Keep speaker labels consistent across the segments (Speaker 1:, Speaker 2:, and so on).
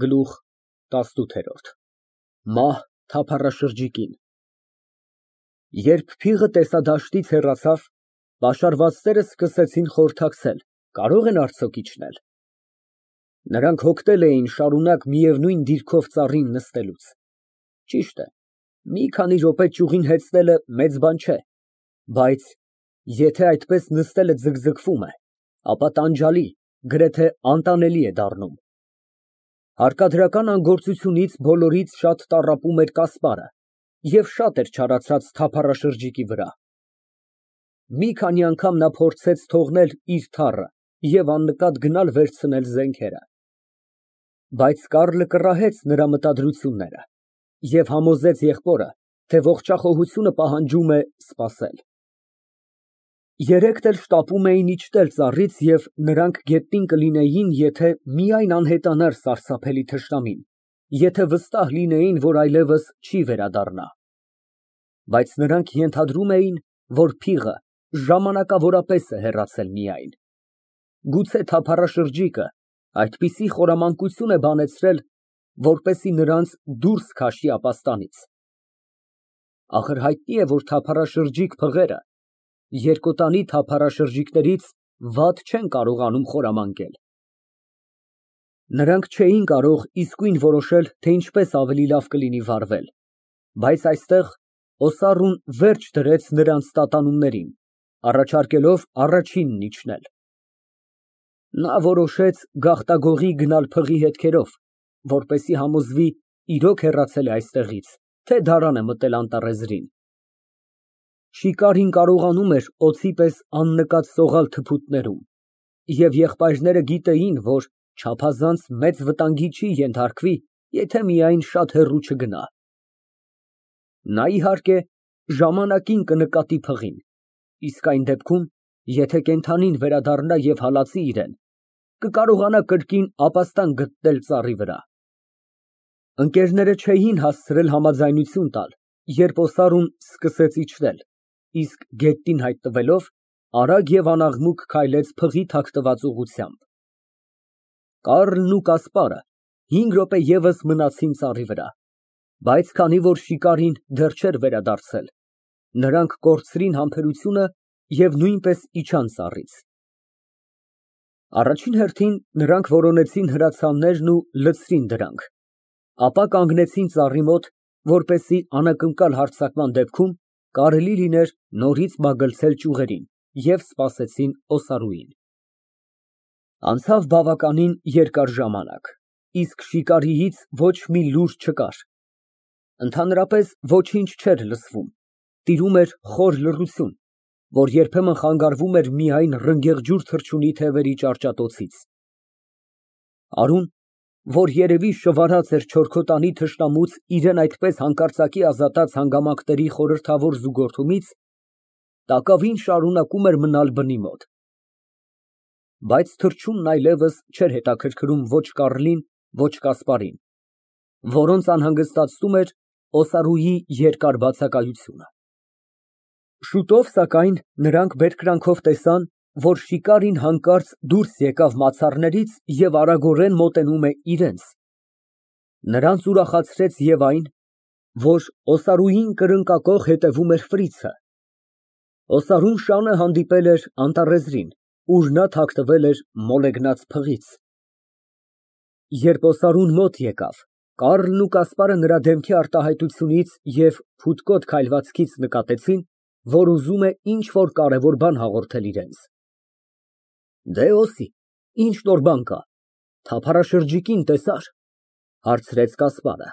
Speaker 1: Գլուխ ՏԱՍՆՈՒԹԵՐՈՐԴ ՄԱՀ թափառաշրջիկին Երբ փիղը տեսադաշտից հեռացավ, պաշարվածները սկսեցին խորհրդակցել, կարո՞ղ են արդյոք իջնել։ Նրանք հոգնել էին շարունակ միևնույն դիրքով ծառին նստելուց։ Ճիշտ է, մի քանի րոպե ճյուղին հեծնելը մեծ բան չէ, բայց եթե այդպես նստելը ձգձգվում է, ապա տանջալի, գրեթե անտանելի է դառնում։ Հարկադրական անգործությունից բոլորից շատ տառապում էր Կասպարը և շատ էր չարացած թափառաշրջիկի վրա։ Մի քանի անգամ նա փորձեց թողնել իր թառը և աննկատ գնալ վերցնել զենքերը։ Բայց Կառլը կռահեց նրա մտադրությունները և համոզեց եղբորը, թե ողջախոհությունը պահանջում է սպասել։ Երեքն էլ շտապում էին իջնել ծառից և նրանք գետնին կլինեին, եթե միայն անհետանար սարսափելի թշնամին, եթե վստահ լինեին, որ այլևս չի վերադառնա։ Բայց նրանք ենթադրում էին, որ փիղը ժամանակավորապես է հեռացել միայն։ Գուցե թափառաշրջիկը այդպիսի խորամանկություն է բանեցրել, որպեսզի նրանց դուրս քաշի ապաստանից։ Ախր հայտնի է, որ թափառաշրջիկ փղերը երկոտանի թափառաշրջիկներից վատ չեն կարողանում խորամանկել։ Նրանք չէին կարող իսկույն որոշել, թե ինչպես ավելի լավ կլինի վարվել, բայց այստեղ Օսառուն վերջ դրեց նրանց տատանումներին, առաջարկելով առաջինն իջնել։ Նա որոշեց գաղտագողի գնալ փղի հետքերով, որպեսզի համոզվի իրոք հեռացել է այստեղից, թե դարան է մտել անտառեզրին։ Շիկարին կարողանում էր օձի պես աննկատ սողալ թփուտներում, և եղբայրները գիտեին, որ չափազանց մեծ վտանգի չի ենթարկվի, եթե միայն շատ հեռու չգնա։ Նա, իհարկե, ժամանակին կնկատի փղին, իսկ այն դեպքում, եթե կենդանին վերադառնա և հալածի իրան, կկարողանա կրկին ապաստան գտնել ծառի վրա։ Ընկերները չէին հասցրել համաձայնություն տալ, երբ Օսառուն սկսեց իջնել, իսկ գետնին հայտնվելով, արագ և անաղմուկ քայլեց փղի թաքնված ուղղությամբ։ Կառլն ու Կասպարը 5 րոպե ևս մնացին ծառի վրա, բայց քանի որ շիկարին դեռ չէր վերադարձել, նրանք կորցրին համբերությունը և նույնպես իջան ծառից։ Առաջին հերթին նրանք որոնեցին հրացաններն ու լցրին դրանք, ապա կանգնեցին ծառի մոտ, որպեսզի անակնկալ հարձակման դեպքում կարելի լիներ նորից մագլցել ճյուղերին, և սպասեցին Օսարուին։ Անցավ բավականին երկար ժամանակ, իսկ շիկարիից ոչ մի լուր չկար։ Ընդհանրապես ոչինչ չէր լսվում, տիրում էր խոր լռություն, որ երբեմն խանգարվում էր միայն ռնգեղջյուր թռչունի թևերի ճարճատոցից։ Արուն, որ երևի շվարած էր չորքոտանի թշնամուց իրան այդպես հանկարծակի ազատած հանգամանքների խորհրդավոր զուգորդումից, տակավին շարունակում էր մնալ բնի մոտ։ Բայց թռչունն այլևս չէր հետաքրքրում ոչ Կառլին, ոչ Կասպարին, որոնց անհանգստացնում էր Օսարուի երկար բացակայությունը։ Շուտով, սակայն, նրանք բերկրանքով տեսան, որ շիկարին հանկարծ դուրս եկավ մացառներից և արագորեն մոտենում է իրենց։ Նրանց ուրախացրեց և այն, որ Օսարուին կրկնակոխ հետևում էր ֆրիցը։ Օսարուն շանը հանդիպել էր անտառեզրին, ուր նա թաքնվել էր մոլեգնած փղից։ Երբ Օսարուն մոտ եկավ, Կառլն ու Կասպարը նրա դեմքի արտահայտությունից և փութկոտ քայլվածքից նկատեցին, որ ուզում է ինչ֊որ կարևոր բան հաղորդել իրենց։ Դեհ, Օսի, ի՞նչ նոր բան կա, թափառաշրջիկին տեսա՞ր, հարցրեց Կասպարը։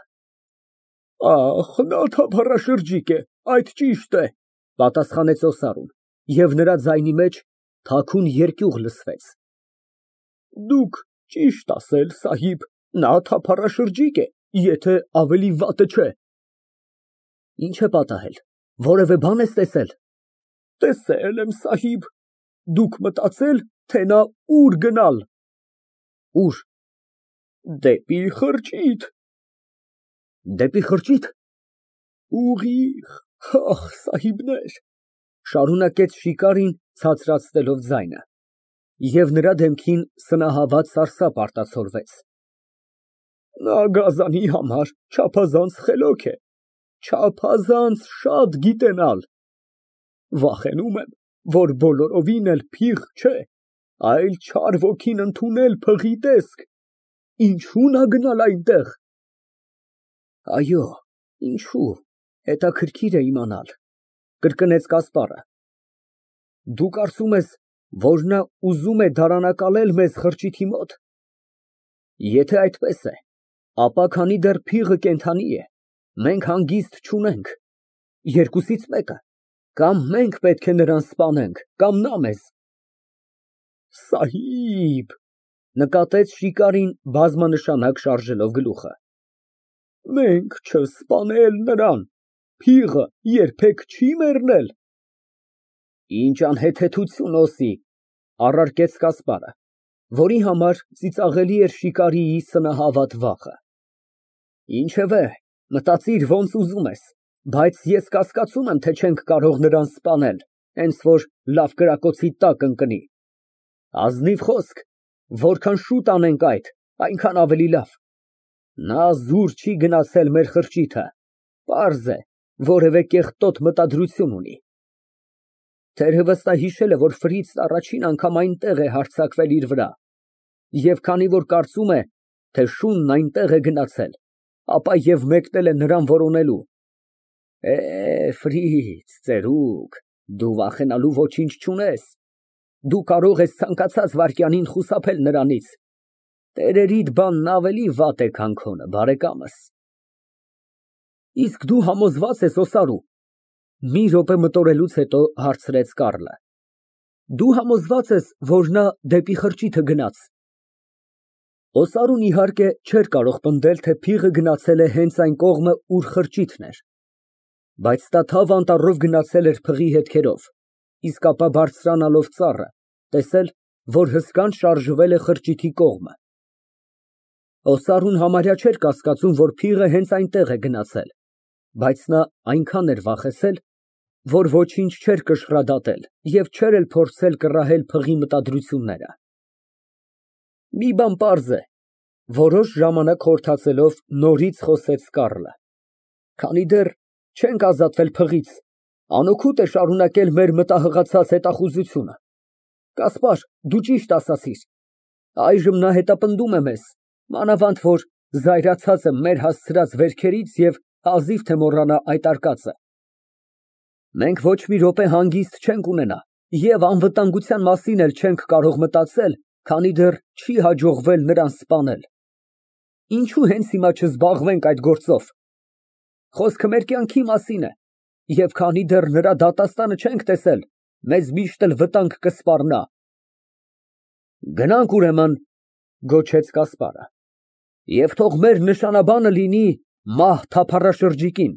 Speaker 1: Ախ, նա թափառաշրջիկ է, այդ ճիշտ է, պատասխանեց Օսարուն, և նրա ձայնի մեջ թաքուն երկյուղ լսվեց։ Դուք ճիշտ ասել, սահիբ, նա թափառաշրջիկ է, եթե ավելի վատը չէ։ Ինչ է պատահել, որևէ բան ես տեսել։ Տեսել եմ, սահիբ, դուք մտածել, թե նա ուր գնալ։ Ուր։ Դեպի խրճիթ։ Դեպի խրճի՞թ։ Ուղիղ, ախ, սահիբներ, շարունակեց շիկարին ցածրացնելով ձայնը, և նրա դեմքին սնահավատ սարսափ արտացոլվեց։ Նա գազանի համար չափազանց խելոք է, չափազանց շատ գիտենալ։ Վախենում եմ, որ բոլորովին էլ փիղ չէ, այլ չար ոգին ընդունել փղի տեսք, ինչո՞ւ նա գնալ այնտեղ։ Այո, ինչո՞ւ, հետաքրքիր է իմանալ, կրկնեց Կասպարը։ Դու կարծում ես, որ նա ուզում է դարանակալել մեզ խրճիթի մոտ։ Եթե այդպես է, ապա քանի դեռ փիղը կենդանի է, մենք հանգիստ չունենք, երկուսից մեկը, կամ մենք պետք է նրան սպանենք, կամ նա մեզ։ Սահիբ, նկատեց շիկարին բազմանշանակ շարժելով գլուխը, մենք չսպանել նրան, փիղը երբեք չի մեռնել։ Ինչ անհեթեթություն, Օսի, առարկեց Կասպարը, որի համար ծիծաղելի էր շիկարիի սնահավատ վախը։ Ինչևէ, մտածիր ոնց ուզում ես, բայց ես կասկածում եմ, թե չենք կարող նրան սպանել, հենց որ լավ կրակոցի տակ ընկնի։ Ազնիվ խոսք, որքան շուտ անենք այդ, այնքան ավելի լավ։ Նա զուր չի գնացել մեր խրճիթը, պարզ է, որևէ կեղտոտ մտադրություն ունի։ Թերևս նա հիշել է, որ Ֆրիցն առաջին անգամ այնտեղ է հարձակվել իր վրա, և քանի որ կարծում է, թե շունն այնտեղ է գնացել, ապա և մեկնել է նրան որոնելու։ Ֆրից, ծերուկ, դու վախենալու ոչինչ չունես, դու կարող ես ցանկացած վայրկյանին խուսափել նրանից, տերերիդ բանն ավելի վատ է, քան քոնը, բարեկամս։ Իսկ դու համոզվա՞ծ ես, Օսարու, մի րոպե մտորելուց հետո հարցրեց Կառլը, դու համոզվա՞ծ ես, որ նա դեպի խրճիթը գնաց։ Օսարուն իհարկե չէր կարող պնդել, թե փիղը գնացել է հենց այն կողմը, ուր խրճիթն էր, բայց նա թավ անտառով գնացել էր փղի հետքերով, իսկ ապա բարձրանալով ծառը, տեսել, որ հսկան շարժվել է խրճիթի կողմը։ Օսարուն համարյա չէր կասկածում, որ փիղը հենց այնտեղ է գնացել, բայց նա այնքան էր վախեցել, որ ոչինչ չէր կշռադատել և չէր էլ փորձել կռահել փղի մտադրությունները։ Մի բան պարզ է, որոշ ժամանակ խորհրդածելով նորից խոսեց Կառլը, քանի դեռ չենք ազատվել փղից, անօգուտ է շարունակել մեր մտահղացած հետախուզությունը։ Կասպար, դու ճիշտ ասացիր, այժմ նա հետապնդում է մեզ, մանավանդ որ զայրացած եմ մեր հասցրած վերքերից և հազիվ թե մոռանա այդ արկածը։ Մենք ոչ մի րոպե հանգիստ չենք ունենա և անվտանգության մասին էլ չենք կարող մտածել, քանի դեռ չի հաջողվել նրան սպանել։ Ինչու հենց հիմա չզբաղվենք այդ գործով։ Խոսքը մեր կյանքի մասին է, և քանի դեռ նրա դատաստանը չենք տեսել, մեզ միշտ էլ վտանգ կսպառնա։ Գնանք ուրեմն, գոչեց Կասպարը, և թող մեր նշանաբանը լինի մահ թափառաշրջիկին։